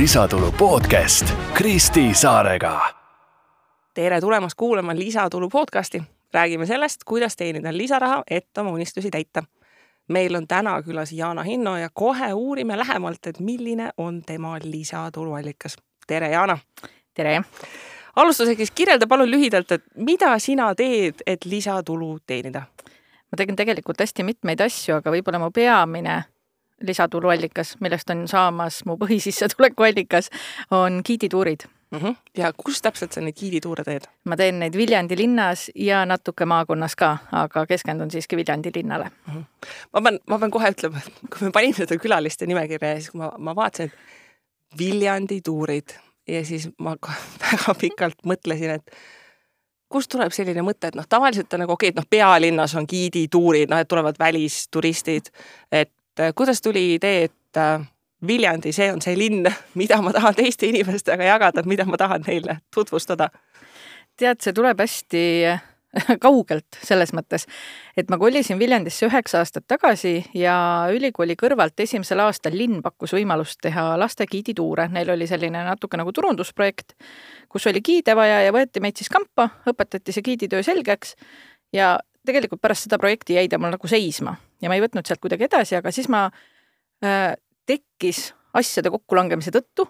Lisatulu podcast Kristi Saarega. Tere tulemast kuulama Lisatulu podcasti. Räägime sellest, kuidas teenida lisaraha, et oma unistusi täita. Meil on täna külas Jaana Hinno ja kohe uurime lähemalt, et milline on tema lisatuluallikas. Tere, Jaana! Tere! Alustuseks kirjelda palun lühidalt, et mida sina teed, et lisatulu teenida? Ma tegin tegelikult hästi mitmeid asju, aga võib-olla mu peamine lisatuluallikas, millest on saamas mu põhisissetulekuallikas, on giidituurid. Ja kus täpselt sa neid giidituure teed? Ma teen neid Viljandi linnas ja natuke maakonnas ka, aga keskendun siiski Viljandi linnale. Ma pean kohe ütlema, et kui me panime seda külaliste nimekirja, siis ma vaatasin, et Viljandi tuurid ja siis ma väga pikalt mõtlesin, et kust tuleb selline mõte, et tavaliselt on nagu okei, et pealinnas on giidituurid, et tulevad välisturistid, et kuidas tuli idee, et Viljandi, see on see linn, mida ma tahan teiste inimestega jagada, mida ma tahan neile tutvustada? Tead, see tuleb hästi kaugelt selles mõttes, et ma kolisin Viljandisse 9 aastat tagasi ja ülikooli kõrvalt esimesel aastal linn pakkus võimalust teha laste giidituure. Neil oli selline natuke nagu turundusprojekt, kus oli giide vaja ja võeti meid siis kampa, õpetati see giiditöö selgeks ja tegelikult pärast seda projekti jäi ta mul nagu seisma ja ma ei võtnud sealt kuidagi edasi, aga siis ma tekkis asjade kokkulangemise tõttu,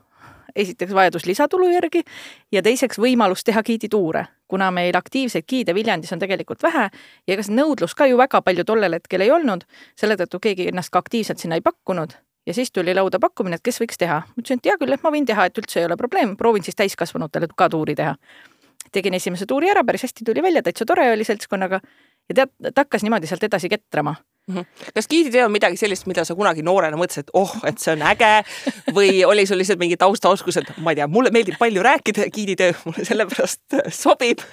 esiteks vajadus lisatulu järgi ja teiseks võimalus teha giidituure, kuna meil aktiivseid giide Viljandis on tegelikult vähe ja ega see nõudlus ka ju väga palju tollel hetkel ei olnud, selle tõttu keegi ennast ka aktiivselt sinna ei pakkunud ja siis tuli lauda pakkumine, et kes võiks teha. Ma ütlesin, et hea küll, et ma võin teha, et üldse ei ole probleem, proovin siis täiskasvanutele ka tuuri teha. Tegin esimese tuuri ära, päris hästi tuli välja, täitsa tore oli seltskonnaga ja tead, ta hakkas niimoodi sealt edasi ketrama. Kas giiditöö on midagi sellist, mida sa kunagi noorena mõtlesid, et et see on äge või oli sul lihtsalt mingi taustaoskus, et ma ei tea, mulle meeldib palju rääkida giiditöö, mulle sellepärast sobib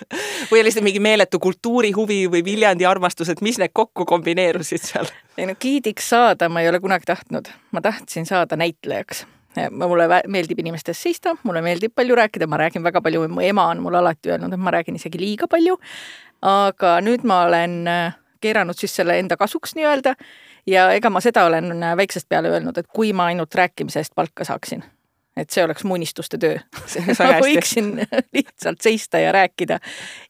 või oli lihtsalt mingi meeletu kultuurihuvi või Viljandi armastus, et mis need kokku kombineerusid seal? Giidiks saada ma ei ole kunagi tahtnud, ma tahtsin saada näitlejaks. Mulle meeldib inimestest seista, mulle meeldib palju rääkida, ma räägin väga palju, mu ema on mulle alati öelnud, et ma räägin isegi liiga palju, aga nüüd ma olen keeranud siis selle enda kasuks nii-öelda ja ega ma seda olen väiksest peale öelnud, et kui ma ainult rääkimise eest palka saaksin, et see oleks mu unistuste töö. Ma võiksin lihtsalt seista ja rääkida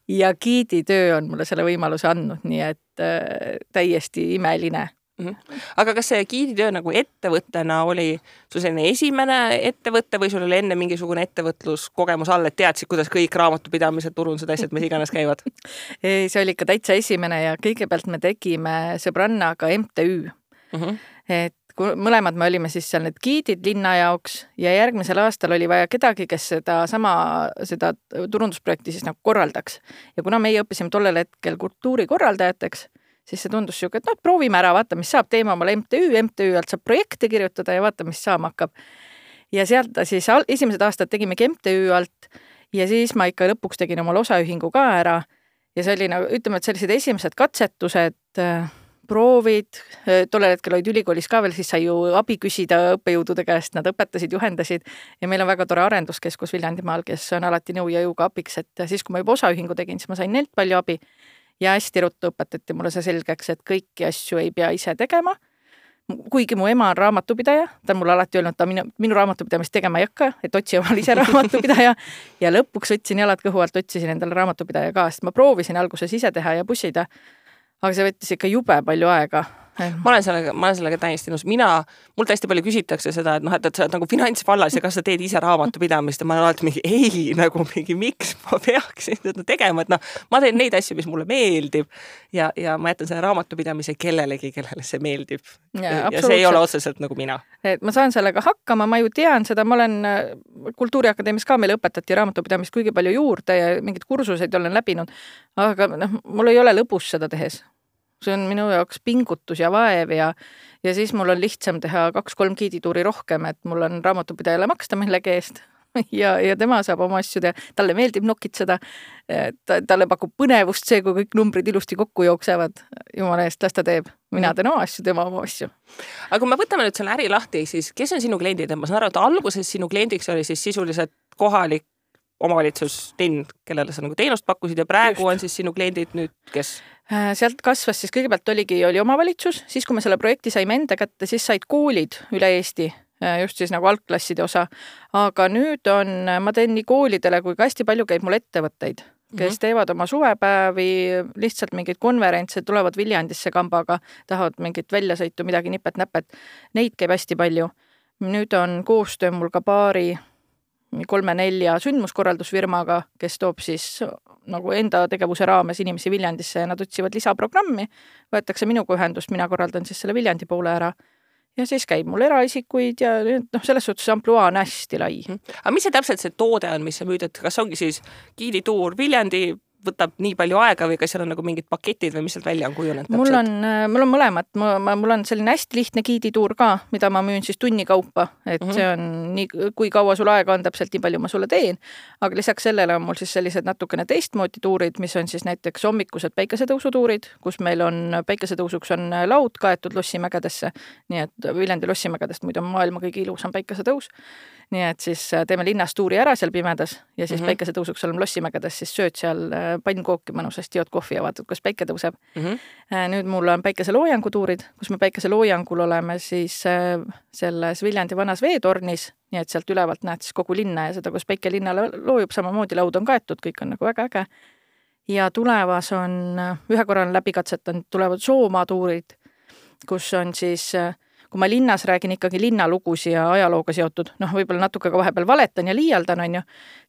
ja giiditöö on mulle selle võimaluse andnud, nii et täiesti imeline. Aga kas see giiditöö nagu ettevõttena oli sul selline esimene ettevõtte või sul oli enne mingisugune ettevõtluskogemus all, et teadsid, kuidas kõik raamatupidamised, turundused, asjad, mis iganes käivad? See oli ikka täitsa esimene ja kõigepealt me tegime sõbrannaga MTÜ. Et mõlemad me olime siis seal need giidid linna jaoks ja järgmisel aastal oli vaja kedagi, kes seda turundusprojekti siis nagu korraldaks. Ja kuna meie õppisime tollel hetkel kultuurikorraldajateks, siis see tundus siuke, et proovime ära, vaata, mis saab, teema omale MTÜ alt saab projekte kirjutada ja vaata, mis saama hakkab. Ja sealt siis esimesed aastad tegimegi MTÜ alt ja siis ma ikka lõpuks tegin omale osaühingu ka ära ja see oli nagu, ütleme, et sellised esimesed katsetused, proovid, tollel hetkel olid ülikoolis ka veel, siis sai ju abi küsida õppejõudude käest, nad õpetasid, juhendasid ja meil on väga tore arenduskeskus Viljandimaal, kes on alati nõu ja jõuga abiks, et siis kui ma juba osaühingu tegin, siis ma sain neilt palju abi. Ja hästi ruttu õpetati mulle see selgeks, et kõiki asju ei pea ise tegema. Kuigi mu ema on raamatupidaja, ta on mulle alati öelnud, ta minu raamatupidamist tegema ei hakka, et otsi omal ise raamatupidaja ja lõpuks võtsin jalad kõhu alt, otsisin endale raamatupidaja ka, sest ma proovisin alguses ise teha ja pussida, aga see võttis ikka jube palju aega. Ma olen sellega täiesti nõus. Mul täiesti palju küsitakse seda, et sa oled nagu finantsvallas ja kas sa teed ise raamatupidamist ja ma olen alati mingi miks ma peaksin seda tegema, et ma teen neid asju, mis mulle meeldib ja ma jätan selle raamatupidamise kellele see meeldib. Ja see ei ole otseselt nagu mina. Et ma saan sellega hakkama, ma ju tean seda, ma olen Kultuuriakadeemias ka meile õpetati raamatupidamist kuigi palju juurde ja mingid kursuseid olen läbinud, aga mul ei ole lõbus seda tehes. See on minu jaoks pingutus ja vaev ja siis mul on lihtsam teha 2-3 giidituuri rohkem, et mul on raamatupidajale maksta millegi eest ja tema saab oma asju teha. Talle meeldib nokitseda, talle pakub põnevust see, kui kõik numbrid ilusti kokku jooksevad. Jumala eest, las ta teeb. Mina teen oma asju, tema oma asju. Aga kui me võtame nüüd selle äri lahti, siis kes on sinu kliendid? Ma saan aru, et alguses sinu kliendiks oli siis sisuliselt kohalik omavalitsus, linn, kellele sa nagu teenust pakkusid ja praegu on siis sinu kliendid nüüd kes? Sealt kasvas siis kõigepealt oli omavalitsus, siis kui me selle projekti saime enda kätte, siis said koolid üle Eesti just siis nagu algklasside osa. Aga nüüd ma teen nii koolidele, kui ka hästi palju käib mul ettevõtteid, kes teevad oma suvepäevi, lihtsalt mingeid konverentse, tulevad Viljandisse kambaga, tahavad mingit väljasõitu, midagi nipet-näpet. Neid käib hästi palju. Nüüd on koostöö mul ka paari 3-4 sündmuskorraldusfirmaga, kes toob siis nagu enda tegevuse raames inimesi Viljandisse ja nad otsivad lisaprogrammi, võetakse minuga ühendust, mina korraldan siis selle Viljandi poole ära ja siis käib mul eraisikuid ja selles suhtes ampluaa on hästi lai. Aga mis see täpselt see toode on, mis sa müüd, et kas ongi siis giidituur Viljandi, võtab nii palju aega või kas seal on nagu mingid paketid või mis sealt välja on kujunenud täpselt? Mul on mõlemat. Mul on selline hästi lihtne giidituur ka, mida ma müün siis tunni kaupa, et see on nii, kui kaua sul aega on, täpselt nii palju ma sulle teen. Aga lisaks sellele on mul siis sellised natukene teistmoodi tuurid, mis on siis näiteks hommikused päikesetõusutuurid, kus meil on päikesetõusuks on laud kaetud Lossimägedesse, nii et Viljandi Lossimägedest muidu on maailma kõige ilusam päikesetõus. Nii et siis teeme linnas tuuri ära seal pimedas ja siis päikesetõusuks oleme Lossimägedes, siis sööd seal pannkooki mõnusasti, jood kohvi ja vaatad, kus päike tõuseb. Nüüd mul on päikeseloojangutuurid, kus me päikeseloojangul oleme siis selles Viljandi vanas veetornis, nii et sealt ülevalt näed siis kogu linna ja seda, kus päike linnale loojub, samamoodi laud on kaetud, kõik on nagu väga äge. Ja tulevas on, ühe korra on läbikatsetanud, tulevad Soomaa-tuurid, kus on siis kui ma linnas räägin ikkagi linnalugusi ja ajalooga seotud, võib-olla natuke ka vahepeal valetan ja liialdan, on ju,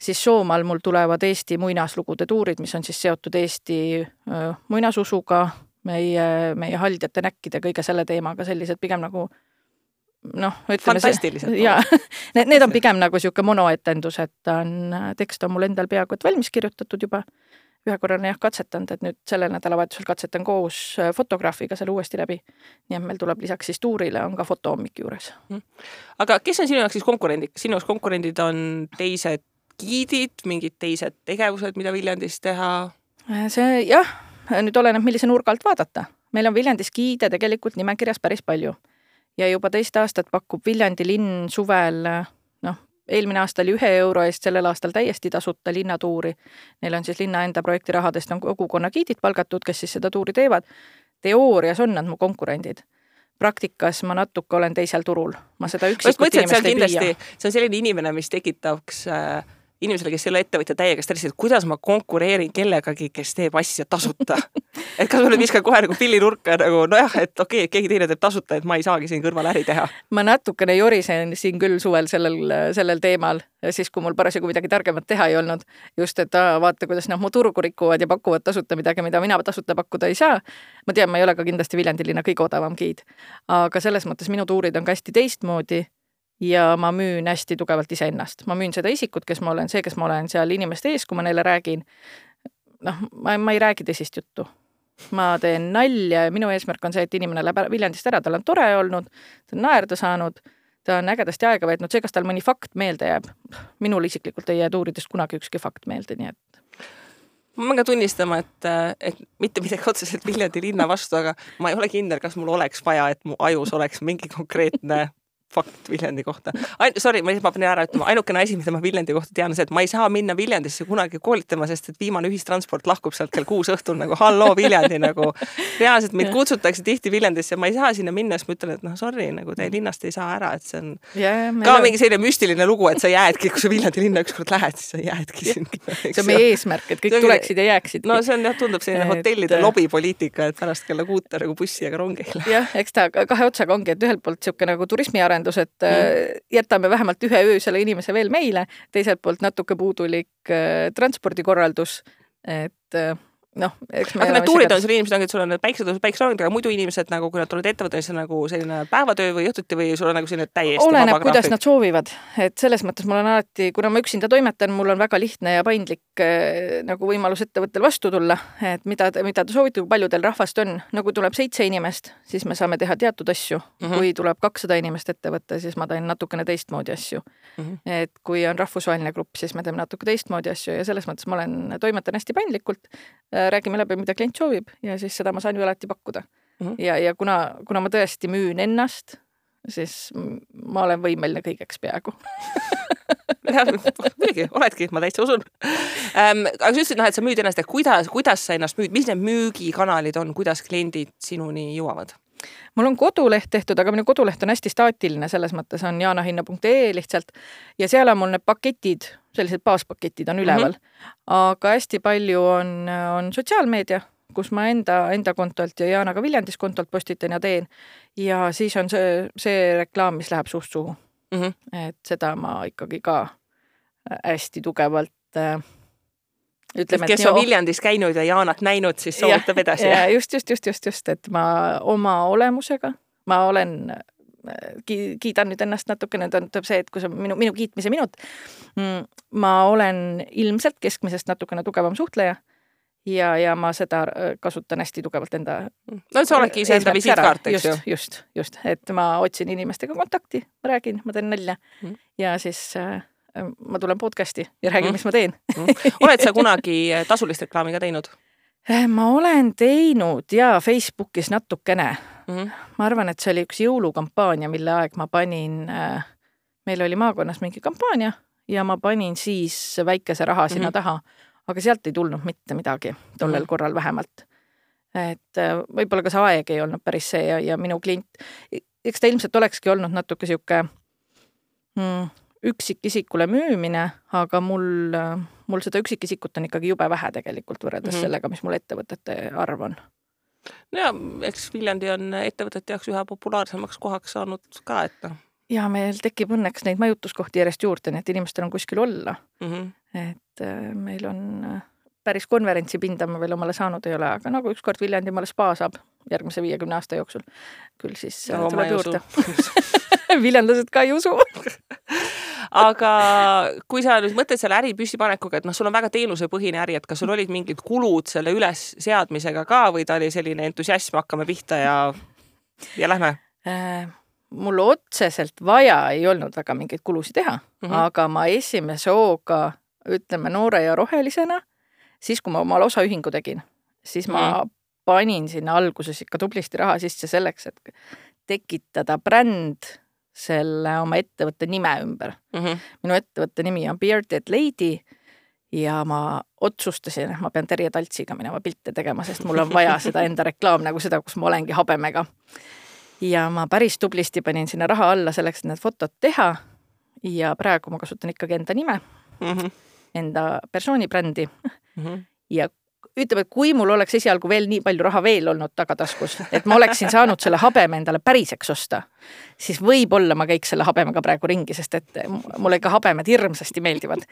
siis Soomaal mul tulevad Eesti muinaslugude tuurid, mis on siis seotud Eesti muinasusuga, meie haldjate näkkide, kõige selle teemaga, sellised pigem nagu fantastilised. Ja, need on pigem nagu siuke monoetendus, et tekst on mul endal peaaegu et valmis kirjutatud juba. Ühe korral on katsetanud, et nüüd sellel nädalavahetusel katsetan koos fotograafiga selle uuesti läbi. Nii et meil tuleb lisaks siis tuurile on ka fotohommik juures. Aga kes on sinu jaoks siis konkurendid? Sinu jaoks konkurendid on teised giidid, mingid teised tegevused, mida Viljandis teha? See jah, nüüd oleneb millise nurgalt vaadata. Meil on Viljandis giide tegelikult nimekirjas päris palju. Ja juba teist aastat pakub Viljandi linn suvel eelmine aasta oli 1 euro eest, sellel aastal täiesti tasuta linnatuuri. Neil on siis linna enda projekti rahadest on kogukonna giidid palgatud, kes siis seda tuuri teevad. Teoorias on nad mu konkurendid. Praktikas ma natuke olen teisel turul. Ma seda üksikut inimest ei püüa. See on selline inimene, mis tekitaks inimesele, kes ei ole ettevõtja täiega stressid, et kuidas ma konkureerin kellegagi, kes teeb asja tasuta. Et kas ma nüüd viskan kohe nagu pillinurka nagu, et okei, keegi teine teeb tasuta, et ma ei saagi siin kõrval äri teha. Ma natukene jorisen siin küll suvel sellel teemal, siis kui mul parasjagu midagi targemat teha ei olnud, just et vaata, kuidas mu turgu rikuvad ja pakuvad tasuta midagi, mida mina tasuta pakkuda ei saa. Ma tean, ma ei ole ka kindlasti Viljandi linna kõige odavam giid, aga selles mõttes minu tuurid on ka hästi teistmoodi ja ma müün hästi tugevalt iseennast. Ma müün seda isikut, kes ma olen, see, kes ma olen seal inimeste ees, kui ma neile räägin. Ma ei räägi teisist juttu. Ma teen nalja ja minu eesmärk on see, et inimene läheb Viljandist ära, tal on tore olnud, ta on naerda saanud, ta on ägedasti aega veetnud, see, kas tal mõni fakt meelde jääb. Minul isiklikult ei jää tuuridest kunagi ükski fakt meelde, nii et ma pean ka tunnistama, et mitte midagi otseselt Viljandi linna vastu, aga ma ei ole kindel, kas mul oleks vaja, et mu ajus oleks mingi konkreetne fakt Viljandi kohta. Sorry, ma pean ära ütlema, ainukene asi, mida ma Viljandi kohta tean, see, et ma ei saa minna Viljandisse kunagi koolitama, sest et viimane ühistransport lahkub sealt kell 6 õhtul nagu halloo Viljandi nagu. Reaalselt mind kutsutakse tihti Viljandisse, ma ei saa sinna minna, sest ma ütlen, et sorry, nagu teie linnast ei saa ära, et see on ka mingi selline müstiline lugu, et sa jäädki, kui sa Viljandi linna ükskord lähed, siis sa jäädki singi. See on meie eesmärk, et kõik tuleksid ja jääksid. No see on tundub selline hotellide lobipoliitika, et pärast kella 6 nagu bussi ja rongi ei lähe. Jah, eks ta kahe otsaga ongi, et ühelt poolt siuke nagu turismiarendus, et jätame vähemalt 1 öö selle inimese veel meile, teiselt poolt natuke puudulik transpordikorraldus, et aga need tuurid on sul inimesed, et sul on päikseloomed, aga muidu inimesed, nagu kui nad tulevad ettevõttes nagu selline päevatöö või õhtuti või sul on nagu selline täiesti oleneb, kuidas nad soovivad. Et selles mõttes mul on alati, kuna ma üksinda toimetan, mul on väga lihtne ja paindlik nagu võimalus ettevõttel vastu tulla, et mida ta soovite, kui palju teil rahvast on. Nagu tuleb 7 inimest, siis me saame teha teatud asju. Kui tuleb 200 inimest ettevõtte, siis ma teen natukene teistmoodi asju. Et kui on rahvusvaheline grupp, siis me teeme natuke teistmoodi asju ja selles mõttes ma toimetan hästi paindlikult. Räägime läbi, mida klient soovib ja siis seda ma saan ju alati pakkuda. Ja kuna ma tõesti müün ennast, siis ma olen võimeline kõigeks peaaegu. Muidugi, oledki, ma täitsa usun. Aga sa ütlesid, et sa müüd ennast, et kuidas sa ennast müüd, mis need müügikanalid on, kuidas kliendid sinuni jõuavad? mul on koduleht tehtud, aga minu koduleht on hästi staatiline, selles mõttes on jaanahinna.ee lihtsalt ja seal on mul need paketid, sellised baaspaketid on üleval. Aga hästi palju on sotsiaalmeedia, kus ma enda kontolt ja Jaanaga Viljandis kontolt postitan ja teen. Ja siis on see reklaam, mis läheb suust suhu. Et seda ma ikkagi ka hästi tugevalt ütleme, kes on Viljandis käinud ja Jaanat näinud, siis soovitab edasi. Ja just, et ma oma olemusega, ma olen, kiidan nüüd ennast natukene, tähendab see, et kui see on minu kiitmise minut, ma olen ilmselt keskmisest natukene tugevam suhtleja ja ma seda kasutan hästi tugevalt enda... No see oledki ise enda visiitkaart, eks ju? Just, et ma otsin inimestega kontakti, ma räägin, ma teen nalja ja siis... ma tulen podcasti ja räägin, mis ma teen. Oled sa kunagi tasulist reklaami ka teinud? Ma olen teinud ja Facebookis natukene. Ma arvan, et see oli üks jõulukampaania, mille aeg ma panin, meil oli maakonnas mingi kampaania ja ma panin siis väikese raha sinna taha, aga sealt ei tulnud mitte midagi, tollel korral vähemalt. Et võib-olla ka see aeg ei olnud päris see ja minu klient, eks ta ilmselt olekski olnud natuke siuke üksikisikule müümine, aga mul seda üksikisikut on ikkagi jube vähe tegelikult võrreldes sellega, mis mul ettevõtete arv on. No ja, eks Viljandi on ettevõtete jaoks ühe populaarsemaks kohaks saanud ka, et noh. Ja meil tekib õnneks neid majutuskohti järjest juurde, nii et inimestel on kuskil olla. Et meil on päris konverentsi pinda ma veel omale saanud ei ole, aga nagu ükskord Viljandi omale spa saab järgmise 50 aasta jooksul. Küll siis tuleb juurde. Viljandlased ka ei usu. Aga kui sa nüüd mõtled selle äri püstipanekuga, et sul on väga teenusepõhine äri, et kas sul olid mingid kulud selle üles seadmisega ka või ta oli selline entusiasm, hakkame pihta ja lähme? Mul otseselt vaja ei olnud väga mingeid kulusid teha, aga ma esimese hooga, ütleme noore ja rohelisena, siis kui ma omal osaühingu tegin, siis ma panin sinna alguses ikka tublisti raha sisse selleks, et tekitada bränd selle oma ettevõtte nime ümber. Minu ettevõtte nimi on Bearded Lady ja ma otsustasin, et ma pean Terje Taltsiga minema pilte tegema, sest mul on vaja seda enda reklaam nagu seda, kus ma olengi habemega. Ja ma päris tublisti panin sinna raha alla selleks, et need fotod teha ja praegu ma kasutan ikkagi enda nime, enda persoonibrändi ja ütleme, et kui mul oleks esialgu veel nii palju raha veel olnud tagataskus, et ma oleksin saanud selle habeme endale päriseks osta, siis võib-olla ma käiks selle habemega praegu ringi, sest et mulle ikka habemed hirmsasti meeldivad.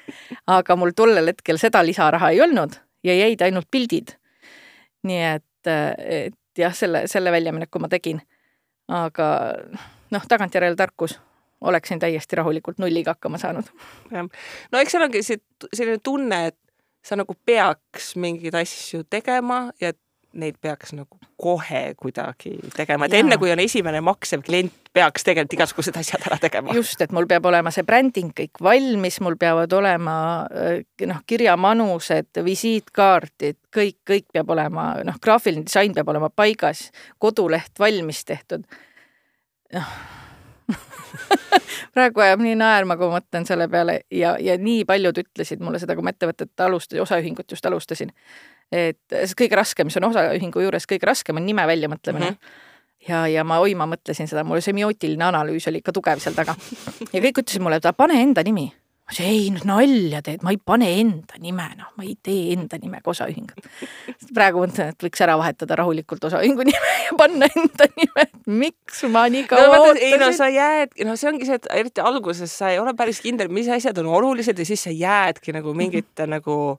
Aga mul tollel hetkel seda lisaraha ei olnud ja jäid ainult pildid. Nii et jah, selle väljamineku ma tegin. Aga tagantjärele tarkus oleksin täiesti rahulikult nulliga hakkama saanud. No eks seal ongi selline tunne, et sa nagu peaks mingeid asju tegema ja neid peaks nagu kohe kuidagi tegema. Et enne kui on esimene maksev klient, peaks tegelikult igasugused asjad ära tegema. Just, et mul peab olema see bränding kõik valmis, mul peavad olema kirjamanused, visiitkaardid, kõik peab olema, graafiline disain peab olema paigas, koduleht valmis tehtud. Praegu ajab nii naerma, kui mõtlen selle peale ja nii paljud ütlesid mulle seda, kui ma ettevõtet osaühingut just alustasin. Et see kõige raskem, mis on osaühingu juures, kõige raskem on nime välja mõtlemine. Ja ma mõtlesin seda, mul semiootiline analüüs oli ikka tugev seal taga. Ja kõik ütlesid mulle, et pane enda nimi. Ei, nüüd nalja teed, ma ei pane enda nime, ma ei tee enda nimega osaühingut. Praegu mõtlen, et võiks ära vahetada rahulikult osaühingu nime ja panna enda nime, miks ma nii kaua ootasin. Sa jääd, see ongi see, et eriti alguses sa ei ole päris kindel, mis asjad on olulised ja siis sa jäädki nagu mingite nagu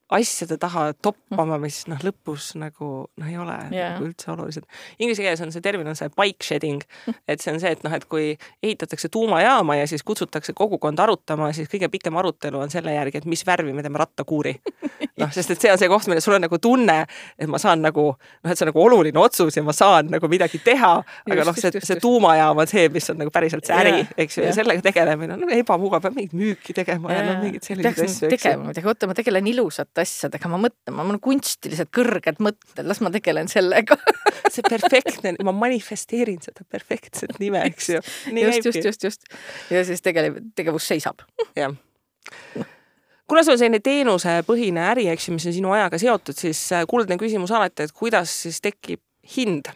asjade taha toppama, mis lõpus nagu ei ole nagu üldse olulised. Inglise keeles on see termin on see bike shedding, et see on see, et kui ehitatakse tuumajaama ja siis kutsutakse kogukond arutama, siis kõige pikem arutelu on selle järgi, et mis värvi me teeme rattakuuri. Sest et see on see koht, mille sul on nagu tunne, et ma saan nagu, et see on nagu oluline otsus ja ma saan nagu midagi teha, aga see tuumajaam on see, mis on nagu päriselt see äri, eks ju, ja sellega tegelemine on ebamugav, peab mingit müüki tegema ja mingid sellised asju. Ma tegelen ilusat asjadega, ma mõtlen, ma olen kunstilised kõrged mõtted, las ma tegelen sellega. See perfektne, ma manifesteerin seda perfektset nime, eks ju. Just. Ja siis tegevus seisab. Jah. Kuna sul on selline teenusepõhine äri, mis on sinu ajaga seotud, siis kuldne küsimus alati, et kuidas siis tekib hind?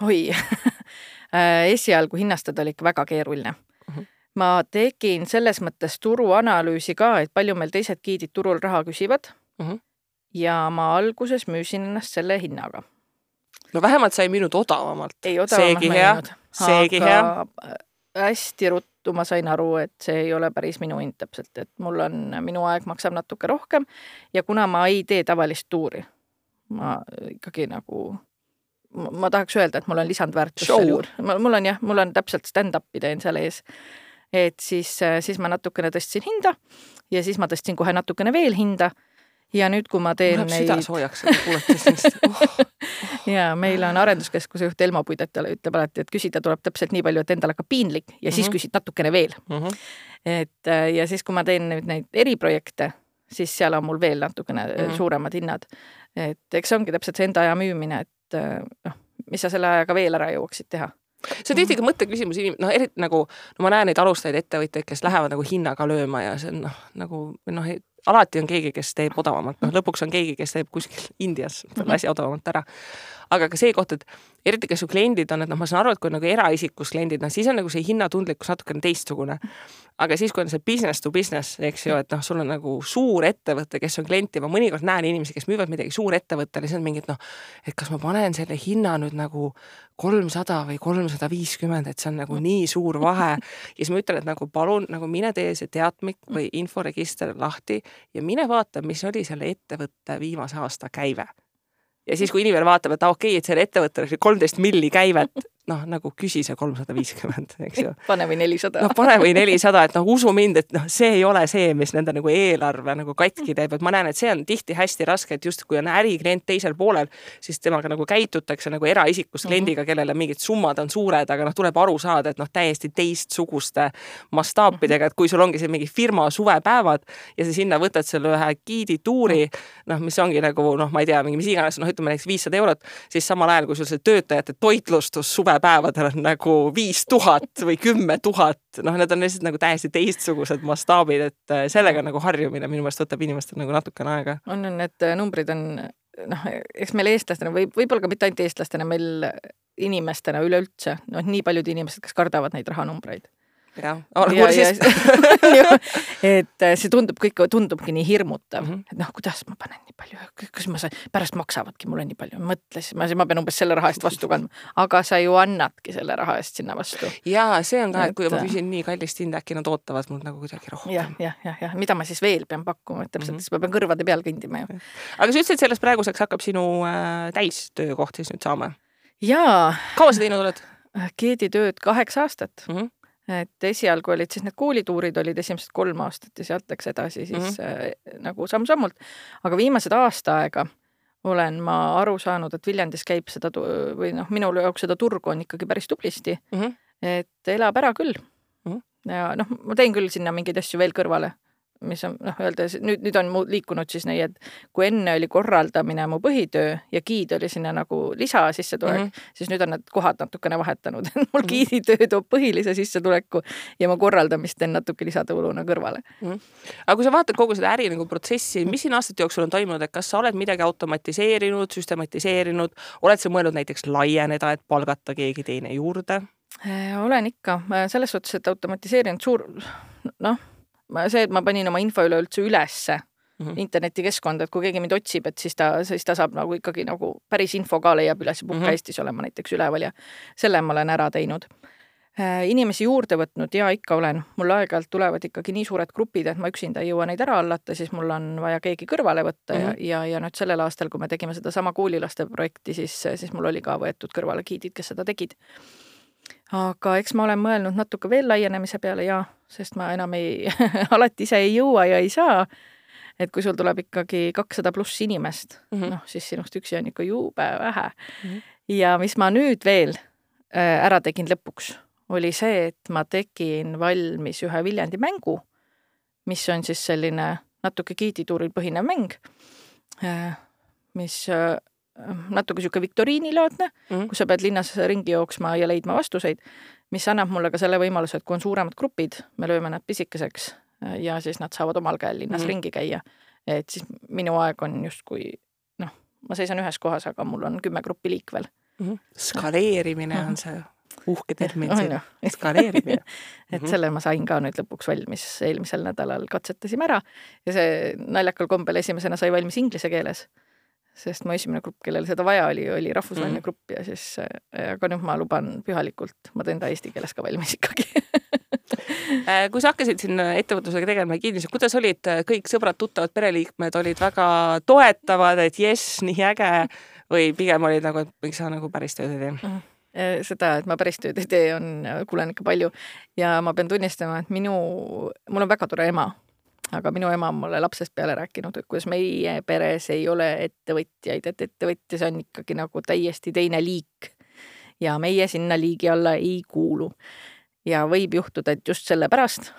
Oi, esialgu hinnastada oli ikka väga keeruline. Ma tegin selles mõttes turuanalüüsi ka, et palju meil teised giidid turul raha küsivad ja ma alguses müüsin ennast selle hinnaga. No vähemalt sai müünud odavamalt. Ei odavamalt seegi hea. Hästi ruttu ma sain aru, et see ei ole päris minu hind täpselt, et minu aeg maksab natuke rohkem ja kuna ma ei tee tavalist tuuri, ma ikkagi nagu... Ma tahaks öelda, et mul on lisandväärtus seal juurde. Mul on täpselt stand-upi teen seal ees. Et siis ma natukene tõstsin hinda ja siis ma tõstsin kohe natukene veel hinda ja nüüd, kui ma teen neid... Süda soojaks, et kuulates ja meil on arenduskeskuse juht Elmo Puidetale ütleb alati, et küsida tuleb täpselt nii palju, et endal hakkab piinlik ja siis küsid natukene veel. Ja siis, kui ma teen nüüd neid eriprojekte, siis seal on mul veel natukene suuremad hinnad. Et eks ongi täpselt see enda aja müümine, et mis sa selle ajaga veel ära jõuaksid teha. See on tihti ka mõtteküsimus, eriti nagu, ma näen neid alustajaid ettevõtteid, kes lähevad nagu hinnaga lööma ja see on nagu, alati on keegi, kes teeb odavamalt. Lõpuks on keegi, kes teeb kuskil Indias asja odavamalt ära. Aga ka see koht, et eriti, kes su kliendid on, et ma saan aru, et kui nagu eraisikus kliendid, siis on nagu see hinnatundlikkus natukene teistsugune. Aga siis, kui on see business to business, eks ju, et sul on nagu suur ettevõte, kes on klienti, ma mõnikord näen inimesi, kes müüvad midagi suur ettevõttele, siis on mingid, et kas ma panen selle hinna nüüd nagu 300 või 350, et see on nagu nii suur vahe. Ja siis ma ütlen, et nagu palun, nagu mine tee see teatmik või inforegister lahti ja mine vaata, mis oli selle ettevõtte viimase aasta käive. Ja siis, kui inimene vaatab, et okei, et selle ettevõttel oli 13 milli käivet, nagu küsi see 350, eks ju. Pane või 400. Pane või 400, et usu mind, et see ei ole see, mis nende nagu eelarve nagu katki teeb, et ma näen, et see on tihti hästi raske, et just kui on äriklient teisel poolel, siis temaga nagu käitutakse nagu eraisikust kliendiga, kellele mingid summad on suured, aga tuleb aru saada, et täiesti teistsuguste mastaapidega, et kui sul ongi see mingi firma suvepäevad ja sa sinna võtad selle ühe giidi tuuri, mis ongi nagu, ma ei tea, mis iganes, ütleme näiteks 500 €, siis samal ajal, kui sul see töötajate toitlustus suvepäevadel on nagu 5000 või 10 000, need on lihtsalt nagu täiesti teistsugused mastaabid, et sellega nagu harjumine minu meelest võtab inimestel nagu natukene aega. On, need numbrid on, eks meil eestlastena, võib-olla ka mitte ainult eestlastena, meil inimestena üleüldse, nii paljud inimesed, kes kardavad neid rahanumbreid. Et see tundubki nii hirmutav, et kuidas ma panen nii palju, kas ma pärast maksavadki mulle nii palju, mõtlesin, ma pean umbes selle raha eest vastu kandma, aga sa ju annadki selle raha eest sinna vastu. Jaa, see on ka, et kui ma küsin nii kallist hinda, äkki nad ootavad mul nagu kuidagi rohkem. Ja, mida ma siis veel pean pakkuma, et täpselt, siis ma pean kõrvade peal kõndima ju. Aga sa ütlesid, et sellest praeguseks hakkab sinu täistöökoht siis nüüd saama? Jaa. Kaua sa teinud oled? Giiditööd 8 aastat. Et esialgu olid siis need koolituurid olid esimesed 3 aastat ja sealt läks edasi siis nagu samm-sammult. Aga viimased aasta aega olen ma aru saanud, et Viljandis käib seda või minul jaoks seda turgu on ikkagi päris tublisti, et elab ära küll. Ja ma teen küll sinna mingeid asju veel kõrvale, mis on, öeldes, nüüd on liikunud siis nii, et kui enne oli korraldamine mu põhitöö ja giid oli sinna nagu lisa sissetulek, siis nüüd on need kohad natukene vahetanud. Mul giiditöö toob põhilise sissetuleku ja ma korraldamist teen natuke lisatõuluna kõrvale. Aga kui sa vaatad kogu seda äri nagu protsessi, mis siin aastate jooksul on toimunud, et kas sa oled midagi automatiseerinud, süstematiseerinud, oled sa mõelnud näiteks laieneda, et palgata keegi teine juurde? Olen ikka. Selles suhtes, et automatiseerinud suur, see, et ma panin oma info üleüldse ülesse internetikeskkonda, et kui keegi mind otsib, et siis ta saab nagu ikkagi nagu päris info ka leiab üles ja Puhka Eestis olema näiteks üleval ja selle ma olen ära teinud. Inimesi juurde võtnud ja ikka olen. Mul aeg-ajalt tulevad ikkagi nii suured grupid, et ma üksinda ei jõua neid ära allata, siis mul on vaja keegi kõrvale võtta ja nüüd sellel aastal, kui me tegime seda sama koolilaste projekti, siis mul oli ka võetud kõrvale giidid, kes seda tegid. Aga eks ma olen mõelnud natuke veel laienemise peale sest ma enam alati ise ei jõua ja ei saa. Et kui sul tuleb ikkagi 200 pluss inimest, siis sinust üksi on ikka jube vähe. Ja mis ma nüüd veel ära tegin lõpuks, oli see, et ma tegin valmis ühe Viljandi mängu, mis on siis selline natuke giidituuril põhinev mäng, mis natuke siuke viktoriinilaadne, kus sa pead linnas ringi jooksma ja leidma vastuseid, mis annab mulle ka selle võimaluse, et kui on suuremad grupid, me lööme nad pisikeseks ja siis nad saavad omal käel linnas ringi käia. Et siis minu aeg on just kui, ma seisan ühes kohas, aga mul on 10 gruppi liikvel. Skaleerimine on see uhke termin siin. Skaleerimine. Et selle ma sain ka nüüd lõpuks valmis, eelmisel nädalal katsetasime ära ja see naljakal kombel esimesena sai valmis inglise keeles, sest mu esimene grupp, kellel seda vaja oli rahvusvaheline grupp ja siis, aga nüüd ma luban pühalikult, ma teen ta eesti keeles ka valmis ikkagi. Kui sa hakkasid siin ettevõtlusega tegema ja kiidmisega, kuidas olid kõik sõbrad, tuttavad, pereliikmed olid väga toetavad, et jess, nii äge või pigem olid nagu, et miks sa nagu päris tööd ei tee? Seda, et ma päris tööd ei tee, kuulen ikka palju ja ma pean tunnistama, et mul on väga tore ema, aga minu ema on mulle lapsest peale rääkinud, et kuidas meie peres ei ole ettevõtjaid, et ettevõtjas on ikkagi nagu täiesti teine liik ja meie sinna liigi alla ei kuulu. Ja võib juhtuda, et just selle pärast,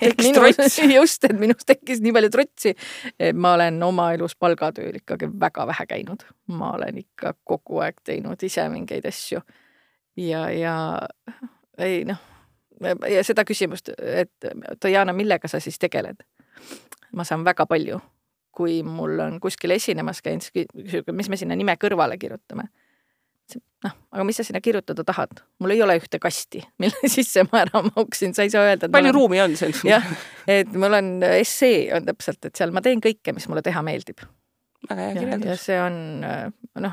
et minust tekkis nii palju trotsi, et ma olen oma elus palgatööl ikkagi väga vähe käinud. Ma olen ikka kogu aeg teinud ise mingeid asju. Ja seda küsimust, et Diana, millega sa siis tegeled? Ma saan väga palju, kui mul on kuskil esinemas käinud, mis me sinna nime kõrvale kirjutame. Aga mis sa sinna kirjutada tahad? Mul ei ole ühte kasti, mille sisse ma ära mauksin, sa ei saa öelda. Palju ruumi on see? Jah, et mul on essee on täpselt, et seal ma teen kõike, mis mulle teha meeldib. Väga hea kirjeldus. Ja see on,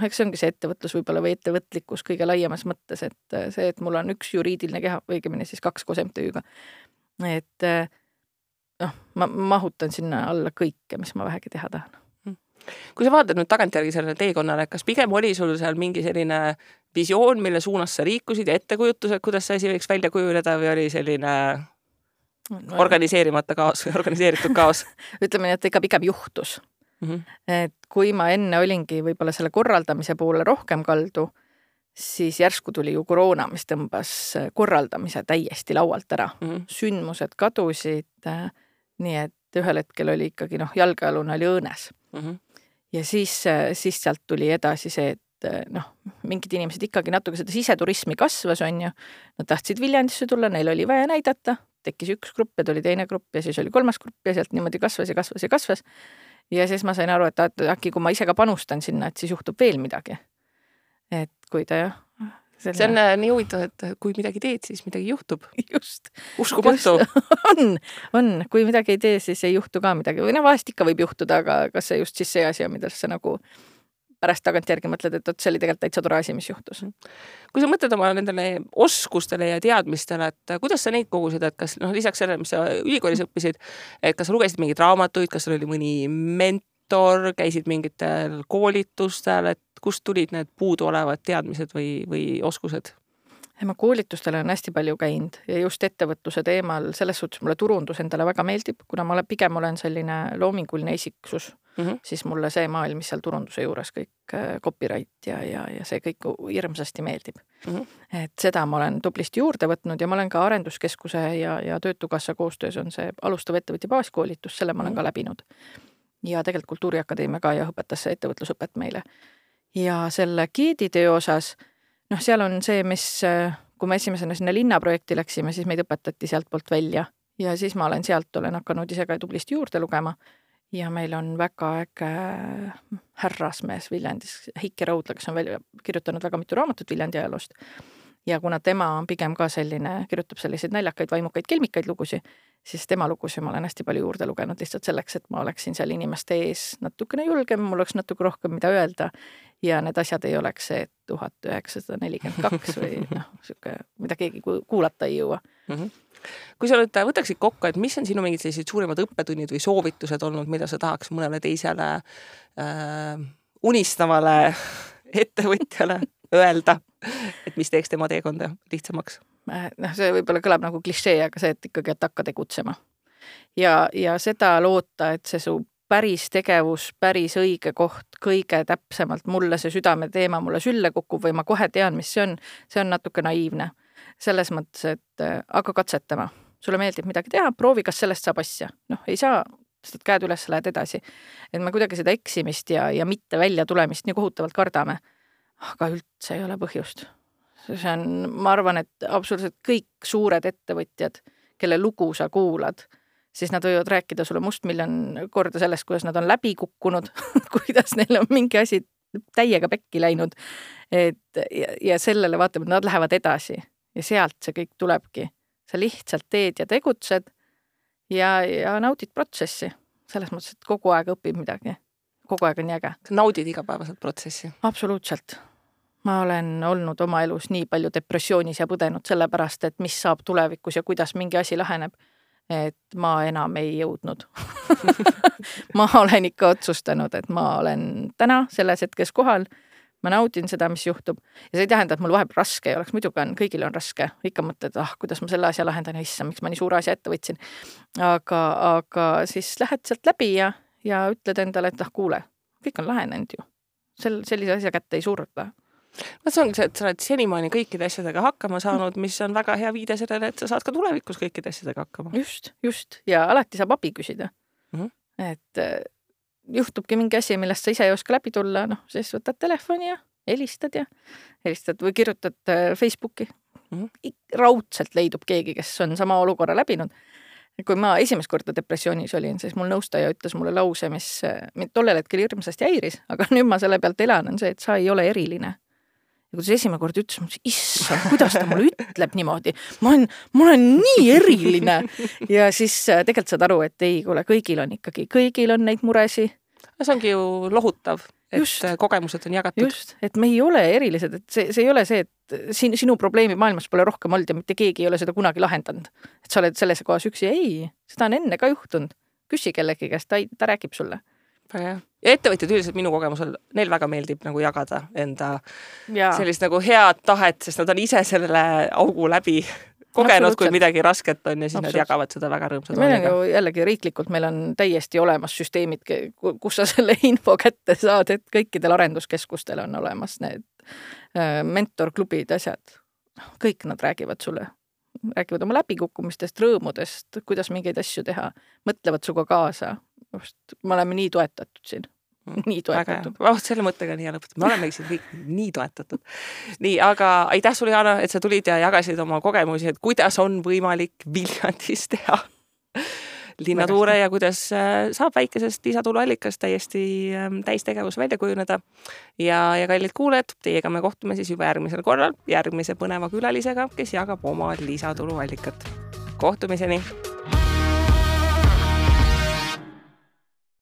eks see ongi see ettevõtlus võib-olla või ettevõtlikkus kõige laiemas mõttes, et see, et mul on üks juriidiline keha, õigemini siis 2 koos MTÜ-ga. Et ma mahutan sinna alla kõike, mis ma vähegi teha tahan. Kui sa vaatad nüüd tagantjärgi sellele teekonnale, kas pigem oli sul seal mingi selline visioon, mille suunas sa liikusid ja ettekujutused, kuidas see asi võiks välja kujuleda või oli selline organiseerimata kaos või organiseeritud kaos? Ütleme nii, et ikka pigem juhtus. Et kui ma enne olingi võib-olla selle korraldamise poole rohkem kaldu, siis järsku tuli ju koroona, mis tõmbas korraldamise täiesti laualt ära. Sündmused kadusid, nii et ühel hetkel oli ikkagi jalgealune oli õõnes. Ja siis sealt tuli edasi see, et mingid inimesed ikkagi natuke seda siseturismi kasvas on ju. Nad tahtsid Viljandisse tulla, neil oli vaja näidata, tekkis üks grupp ja tuli teine grupp ja siis oli 3. grupp ja sealt niimoodi kasvas ja kasvas ja kasvas. Ja siis ma sain aru, et äkki kui ma ise ka panustan sinna, et siis juhtub veel midagi. Et kui ta See on nii huvitav, et kui midagi teed, siis midagi juhtub. Just. Uskumatu. On. Kui midagi ei tee, siis ei juhtu ka midagi. Või vahest ikka võib juhtuda, aga kas see just siis see asi on, mida sa nagu pärast tagantjärgi mõtled, et see oli tegelikult täitsa tore asi, mis juhtus. Kui sa mõtled oma nendele oskustele ja teadmistele, et kuidas sa neid kogusid, et kas lisaks sellele, mis sa ülikoolis õppisid, et kas sa lugesid mingeid raamatuid, kas sul oli mõni mentor, käisid mingitel koolitustel, et kust tulid need puudu olevad teadmised või oskused? Ma koolitustele on hästi palju käinud ja just ettevõtluse teemal selles suhtes mulle turundus endale väga meeldib, kuna ma pigem olen selline loominguline isiksus, siis mulle see maailm, mis seal turunduse juures kõik copyright ja see kõik hirmsasti meeldib. Et seda ma olen tublisti juurde võtnud ja ma olen ka Arenduskeskuse ja Töötukassa koostöös on see alustav ettevõtja baaskoolitus, selle ma olen ka läbinud. Ja tegelikult Kultuuriakadeemia ka ja õpetas ettevõtlusõpet meile. Ja selle giiditöö osas, seal on see, mis, kui me esimesena sinna linnaprojekti läksime, siis meid õpetati sealt poolt välja ja siis ma olen hakanud ise ka tublisti juurde lugema ja meil on väga äge härrasmees Viljandis, Heiki Raudla, kes on kirjutanud väga mitu raamatut Viljandi ajaloost ja kuna tema on pigem ka selline, kirjutab selliseid naljakaid, vaimukaid, kelmikaid lugusi, siis tema lugusi ma olen hästi palju juurde lugenud lihtsalt selleks, et ma oleksin seal inimeste ees natukene julgem, mul oleks natuke rohkem mida öelda ja need asjad ei oleks see 1942 või mida keegi kuulata ei jõua. Kui sa nüüd võtaksid kokku, et mis on sinu mingid sellised suurimad õppetunnid või soovitused olnud, mida sa tahaks mõnele teisele unistavale ettevõtjale öelda, et mis teeks tema teekonda lihtsamaks? See võib-olla kõlab nagu klišee, aga see, et ikkagi hakka tegutsema. Ja seda loota, et see su päris tegevus, päris õige koht, kõige täpsemalt mulle see südame teema mulle sülle kukub või ma kohe tean, mis see on natuke naiivne. Selles mõttes, et hakka katsetama. Sulle meeldib midagi teha, proovi, kas sellest saab asja. Ei saa, sest käed üles lähed edasi. Et me kuidagi seda eksimist ja mitte välja tulemist nii kohutavalt kardame. Aga üldse ei ole põhjust. See on, ma arvan, et absoluutselt kõik suured ettevõtjad, kelle lugu sa kuulad, siis nad võivad rääkida sulle mustmiljon korda sellest, kuidas nad on läbi kukkunud, kuidas neil on mingi asi täiega pekki läinud. ja sellele vaatame, nad lähevad edasi ja sealt see kõik tulebki. Sa lihtsalt teed ja tegutsed ja naudid protsessi. Selles mõttes, et kogu aeg õpib midagi. Kogu aeg on nii äge. Sa naudid igapäevaselt protsessi? Absoluutselt. Ma olen olnud oma elus nii palju depressioonis ja põdenud sellepärast, et mis saab tulevikus ja kuidas mingi asi laheneb, et ma enam ei jõudnud. Ma olen ikka otsustanud, et ma olen täna selles hetkes kohal, ma naudin seda, mis juhtub ja see ei tähenda, et mul vahepeal raske ei oleks, muidugi on, kõigil on raske, ikka mõtled, kuidas ma selle asja lahendan ja issa, miks ma nii suure asja ette võtsin, aga siis lähed sealt läbi ja ütled endale, et kuule, kõik on lahenenud ju, sellise asja kätte ei surda. See ongi see, et sa oled senimaani kõikide asjadega hakkama saanud, mis on väga hea viide sellele, et sa saad ka tulevikus kõikide asjadega hakkama. Just. Ja alati saab abi küsida. Et juhtubki mingi asi, millest sa ise ei oska läbi tulla, siis võtad telefoni ja helistad või kirjutad Facebooki. Raudselt leidub keegi, kes on sama olukorra läbinud. Kui ma esimest korda depressioonis olin, siis mul nõustaja ütles mulle lause, mis tollel hetkel hirmsasti häiris, aga nüüd ma selle pealt elan, on see, et sa ei ole eriline. Ja kui see esimene kord ütles, issand, kuidas ta mulle ütleb niimoodi? Ma olen nii eriline. Ja siis tegelikult saad aru, et ei, kuule, kõigil on neid muresi. See ongi ju lohutav, et kogemused on jagatud. Just, et me ei ole erilised, et see ei ole see, et sinu probleemi maailmas pole rohkem olnud ja mitte keegi ei ole seda kunagi lahendanud. Et sa oled selles kohas üksi. Ei, seda on enne ka juhtunud. Küsi kellegi käest, ta räägib sulle. Ja ettevõtjad üldiselt minu kogemusel, neil väga meeldib nagu jagada enda sellist nagu head tahet, sest nad on ise sellele augu läbi kogenud, kui midagi rasket on ja siis nad jagavad seda väga rõõmsad. Meil on ju jällegi riiklikult, meil on täiesti olemas süsteemid, kus sa selle info kätte saad, et kõikidel arenduskeskustel on olemas need mentorklubid, asjad. Kõik nad räägivad sulle. Räägivad oma läbikukkumistest, rõõmudest, kuidas mingeid asju teha, mõtlevad suga kaasa. Me oleme nii toetatud siin. Nii toetatud. Selle mõttega nii lõpetud. Me olemegi siin kõik nii toetatud. Nii, aga aitäh sulle, Jana, et sa tulid ja jagasid oma kogemusi, et kuidas on võimalik Viljandis teha linnatuure ja kuidas saab väikesest lisatuluallikast täiesti täistegevus välja kujuneda. Ja kallid kuulajad, teiega me kohtume siis juba järgmisel korral järgmise põneva külalisega, kes jagab oma lisatuluallikat. Kohtumiseni!